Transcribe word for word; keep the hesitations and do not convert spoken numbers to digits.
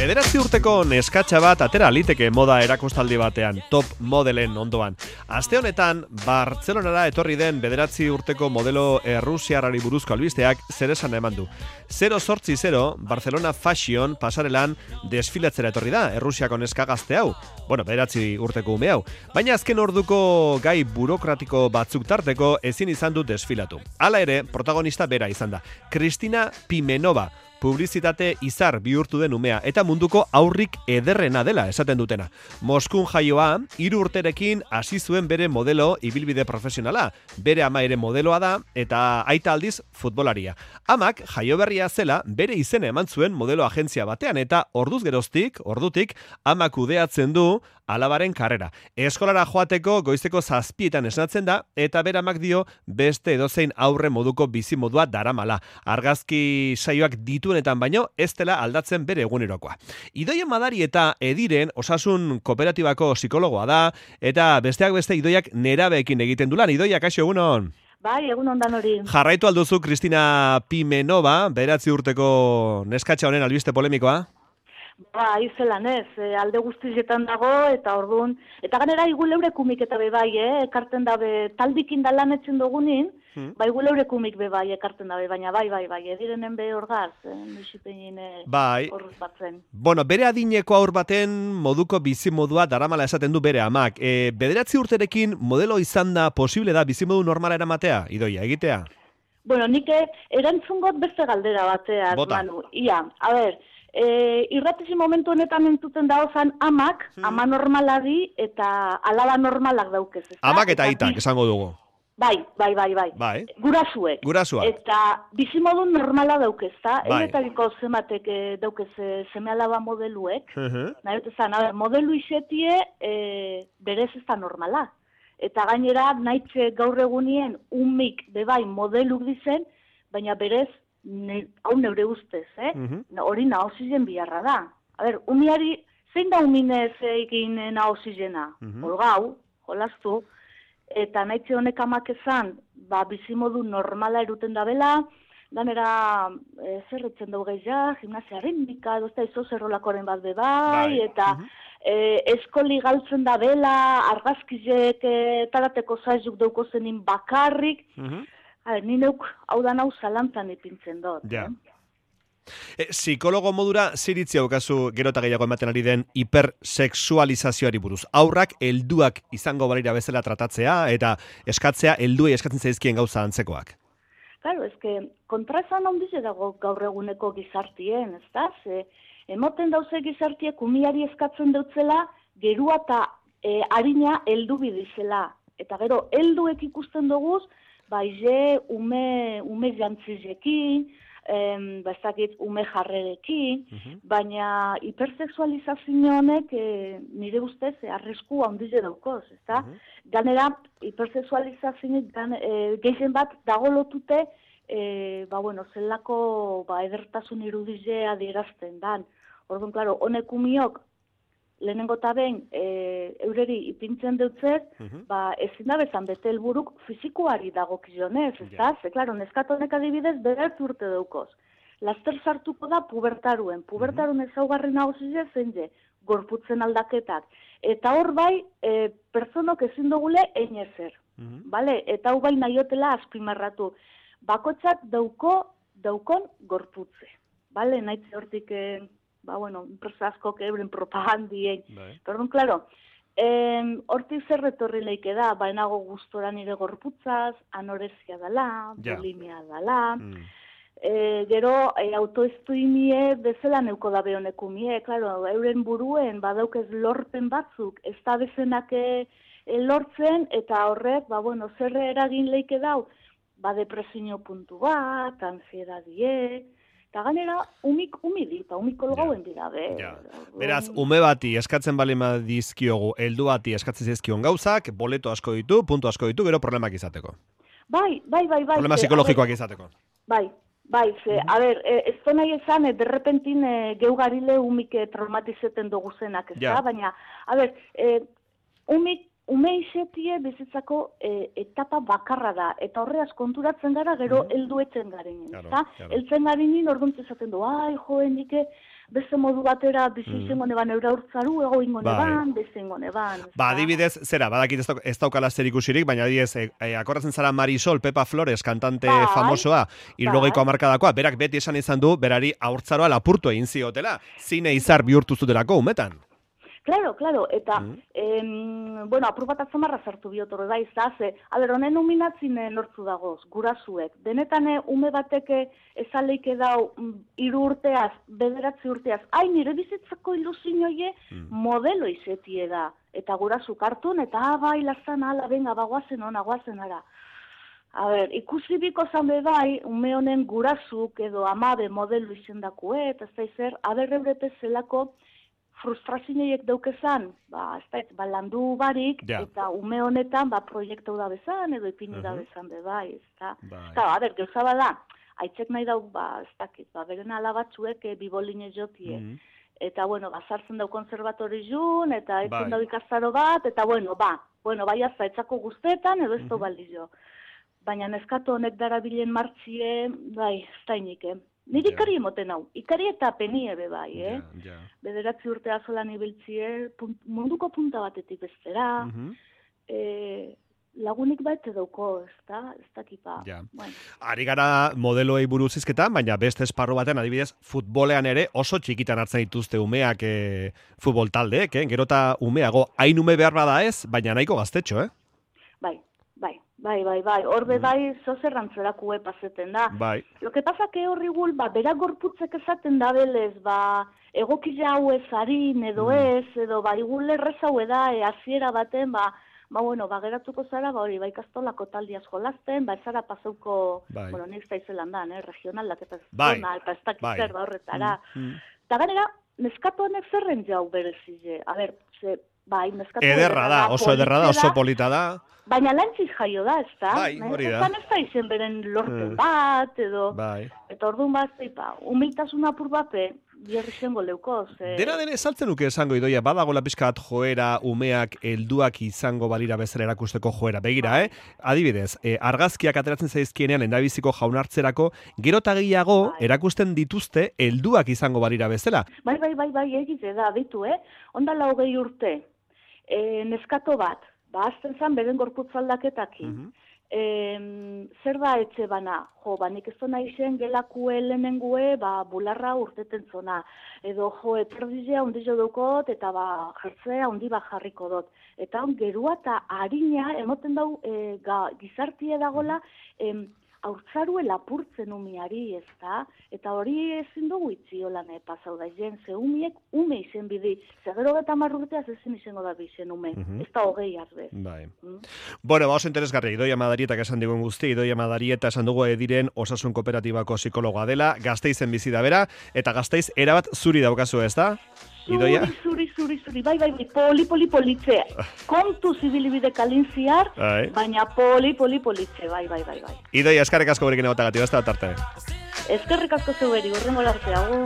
Bederatzi urteko neskatxa bat atera liteke moda erakustaldi batean, top modelen ondoan. Aste honetan, Bartzelonara etorri den bederatzi urteko modelo errusiarrari buruzko albisteak zer esan eman du. zero sortzi zero, Barcelona Fashion pasarelan desfilatzera etorri da, Errusiako neska gazte hau. Bueno, bederatzi urteko ume hau. Baina azken orduko gai burokratiko batzuk tarteko ezin izan du desfilatu. Hala ere, protagonista bera izan da. Kristina Pimenova, publizitate izar bihurtu den umea eta munduko aurrik ederrena dela esaten dutena. Moskun jaioa, hiru urterekin hasi zuen bere modelo ibilbide profesionala. Bere ama ere modeloa da eta aita aldiz futbolaria. Amak jaio berria zela bere izena eman zuen modelo agentzia batean eta orduz geroztik, ordutik, amak kudeatzen du alabaren karrera. Eskolara joateko goizeko zazpietan esnatzen da eta bere amak dio beste edozein aurre moduko bizimodua daramala. Argazki saioak dituenetan baino ez dela aldatzen bere egunerokoa. Idoia Madari eta Ediren osasun kooperatibako psikologoa da eta besteak beste Idoiak nerabeekin egiten du lan. Idoia, kaixo, egunon? Bai, egun ondan hori. Jarraitu alduzu Kristina Pimenova, bederatzi urteko neskatxa honen albiste polemikoa? Ba, izelan ez, e, alde guztietan dago, eta orduan, eta ganera iguleure kumik eta bebai, eh, ekarten dabe, taldikin da lan etzen dugunin, hmm. ba, iguleure kumik bebai ekarten dabe, baina bai, bai, bai, edirenen be orgaz, eh, nusipenin bai. Horruz batzen. Bueno, bere adineko aur baten moduko bizimodua daramala esaten du bere amak. E, bederatzi urterekin modelo izan da posible da bizimodu normala eramatea, Idoia, egitea? Bueno, nik erantzungot beste galdera batea, Bota. Manu. Ia, a ber, E, irratezi momentu honetan entzuten daozan amak, hmm. ama normalari eta alaba normalak daukez. Ez da? Amak eta eta aitak, esango dugu. Bai, bai, bai, bai. bai. Gurasuek. Gurasuak. Eta bizimodu normala daukez, da? Bai. Enetariko zematek e, daukez e, seme alaba modeluek. Uh -huh. Nahi dut ezan, a ber, modelu izetie e, berez ez da normala. Eta gainera, nahitze gaur egunien umik bebai modeluk dizen, baina berez Ne, hau neure ustez, eh? Uh-huh. Hori nahozizen biharra da. A ber, umiari, zein da uminez egin nahozizena? Uh-huh. Olgau, jolastu, eta nahitze honek amak ezan, ba, bizimodu normala eruten da bela, ganera, e, zerretzen dugu gehiago, gimnasia ritmika, edo ez da izo zerrolakoren bat bebai, bai. Eta uh-huh. e, eskoli galtzen da bela, argazkizek, e, tarateko zaizuk dauko zenin bakarrik, uh-huh. Hala, ni neuk hau da nau zalantzan ipintzen dut. Ja. Eh? E, psikologo modura ziritzi haukazu gero eta gehiago ematen ari den hipersexualizazioari buruz. Aurrak helduak izango balira bezala tratatzea eta eskatzea helduei eskatzen zaizkien gauza antzekoak. Claro, eske kontraesan handiz dago gaur eguneko gizartien, ez da? Ze, emoten dauze gizartiek umiari eskatzen dutzela gerua eta e, harina heldu bidizela. Eta gero, helduek ikusten duguz, baize ume, ume jantzizekin, em, bazakit ume jarrerekin, uh-huh. baina hipersexualizazio honek e, nire ustez e, arrisku handize daukoz, ezta? Uh-huh. Ganera, hipersexualizazio e, gehien bat dago lotute, e, ba, bueno, zelako ba, edertasun irudizea adierazten dan. Orduan, klaro, honek umiok, lehenengo eta behin, e, eureri ipintzen dutzez, uh-huh. ba, ezin da bezan bete helburuk fizikoari dagokionez, ez da? Yeah. Ze, klaro, neskatonek adibidez, bederatzi urte daukoz. Laster sartuko da pubertaruen. Pubertaruen uh-huh. ezaugarri nagusize zein je, gorputzen aldaketak. Eta hor bai, e, personok ezin dugule einezer. Uh-huh. Vale? Eta hau bai nahiotela azpimarratu. Bakotzak dauko, daukon gorputze. Vale? Naitze hortik... E, ba, bueno, enpresa askok euren propagandien. Perdón, claro, em, hortik zer retorri leike da, bainago gustora nire gorputzaz, anorexia dala, ja. bulimia dala, mm. e, gero e, autoestuimie bezala neuko dabe honekumie, claro, euren buruen badaukez lorpen batzuk, ez da bezenak e, e, lortzen, eta horrek, ba, bueno, zerre eragin leike dau, ba, depresio puntu bat, ansiedadie, eta ganera, umik umidi, eta umik olgauen dira, be. Ja. Beraz, ume bati eskatzen balima dizkiogu, heldu bati eskatzen zizkion gauzak, boleto asko ditu, puntu asko ditu, gero problemak izateko. Bai, bai, bai, bai. Problema psikologikoak izateko. Bai, bai, ze, a ber, ez da nahi esan, e, derrepentin e, geugarile umik e, traumatizeten dugu zenak, ez da? Ja. Baina, a ber, e, umik ume izetie bizitzako e, etapa bakarra da, eta horreaz konturatzen gara gero heldu etzen garen. Claro, claro. Eltzen garenin orduntz esaten du, ai, joen dike, beste modu batera bizi Mm. izango neban eura urtzaru, ego ingo Bai. neban, beste ingo neban. ez Ba, da? adibidez, zera, badakit ez, dauk, ez daukala zer ikusirik, baina adibidez, e, e, akordatzen zara Marisol, Pepa Flores, kantante Bai, famosoa, hirurogeiko bai. hamarkadakoa, berak beti esan izan du, berari haurtzaroa lapurtu egin ziotela, zine izar bihurtu zutelako umetan. Claro, claro, eta, Mm. em, bueno, apur bat atzamarra sartu biotor, da, izaze, a ber, honen uminatzine lortzu dagoz, gurazuek. Benetan eh, ume bateke ezaleike dau mm, hiru urteaz, bederatzi urteaz, ai, nire bizitzako ilusioie Mm. modelo izetie da. Eta gurasu kartun, eta ah, bai, lazan, ala, benga, bagoazen ona, goazen ara. A ber, ikusi biko zan bai, ume honen gurasuk edo amabe modelo izendakue, eta ez da izer, aber eurete zelako frustrazioiek daukezan, ba, ez da, ba, landu barik, Ja. eta ume honetan, ba, proiektu da bezan, edo ipini da Mhm. bezan be bai, ez da. Bai. Eta, a ber, gauza bada, aitzek nahi dau, ba, ez dakit, ba, beren alabatzuek e, biboline jotie. Mm. Eta, bueno, ba, sartzen dau konservatori jun, eta Bai. etzen dau ikastaro bat, eta, bueno, ba, bueno, bai azta, etzako guztetan, edo ez dau balio. Baina neskatu honek darabilen martxie, bai, ez da inike. Niri Ja. ikari emoten hau, ikari eta penie be bai, eh? Ja, ja. Bederatzi urte azolan ibiltzie, punt, munduko punta batetik bestera, Mhm. e, lagunik baite dauko, ez da, ez dakipa. Ja. Bueno, Ari gara modeloei buruz hizketan, baina beste esparru batean, adibidez, futbolean ere oso txikitan hartzen dituzte umeak e, futbol taldeek, eh? Gero eta umeago, hain ume behar bada ez, baina nahiko gaztetxo, eh? bai, bai, bai, bai, bai, horbe bai zozerrantzerakue paseten da. Bai. Lo que pasa que horri gul, ba, berak gorputzek esaten da belez, ba, egokila hau ez harin, edo ez, edo ba, igul errez hau eda, e, hasiera baten, ba, ba, bueno, ba, geratuko zara, ba, hori, ba, ikastolako taldiaz jolasten, ba, ez zara pasauko, Bai. bueno, nik zaizelan da, eh, regionalak eta Bai. zona, eta ez dakit Bai. zer, ba, horretara. Mm. Eta ganera, neskatu honek zerren jau berezile, a ber, ze, bai, neskatu Ederra da, oso ederra da, oso polita da. baina lantziz jaio da, ez da? Bai, hori da. Ezan ez da izen beren lorpen Mm. bat, edo... Bai. Eta orduan bat, zeipa, humiltasun apur bape, bierri zengo leuko, ze... Dena den esaltzen nuke esango idoia, badagola pixka bat joera umeak helduak izango balira bezala erakusteko joera. Begira, eh? Adibidez, eh, argazkiak ateratzen zaizkienean endabiziko jaunartzerako, gero eta gehiago Bai. erakusten dituzte helduak izango balira bezala. Bai, bai, bai, bai, egite da, ditu, eh? Ondala hogei urte, e, neskato bat, ba, azten zan beren gorputzaldaketak Mhm. Em, zer da etxe bana? Jo, ba, nik ez dona izen gelakue lehenengue, ba, bularra urteten zona. Edo, jo, eperdizea ondizio dukot, eta ba, jertzea ondi ba jarriko dut. Eta on, gerua eta harina, emoten dau, e, ga, gizartie dagola, em, haurtzarue lapurtzen umiari, ez da? Eta hori ezin dugu itzi holan pasau da, jen, ze umiek ume izen bidi. Ze gero eta marrurteaz ezin izango da bizen ume. Mhm. Ez da hogei arbe. Bai. Mm? Bueno, ba, oso interesgarri, Idoia Madarietak esan digun guzti, Idoia Madarieta esan dugu ediren osasun kooperatibako psikologoa dela, Gasteizen bizi da bera, eta Gasteiz erabat zuri daukazu, ez da? Idoia? Zuri, zuri, zuri, zuri, bai, bai, bai, poli, poli, politze. Kontu zibilibide kalintziar, Bai. baina poli, poli, politze, bai, bai, bai, bai. Idoia, eskarek asko berekin egotagatik, beste bat arte. Ezkerrik asko zeu beri, urrengo larte, agur.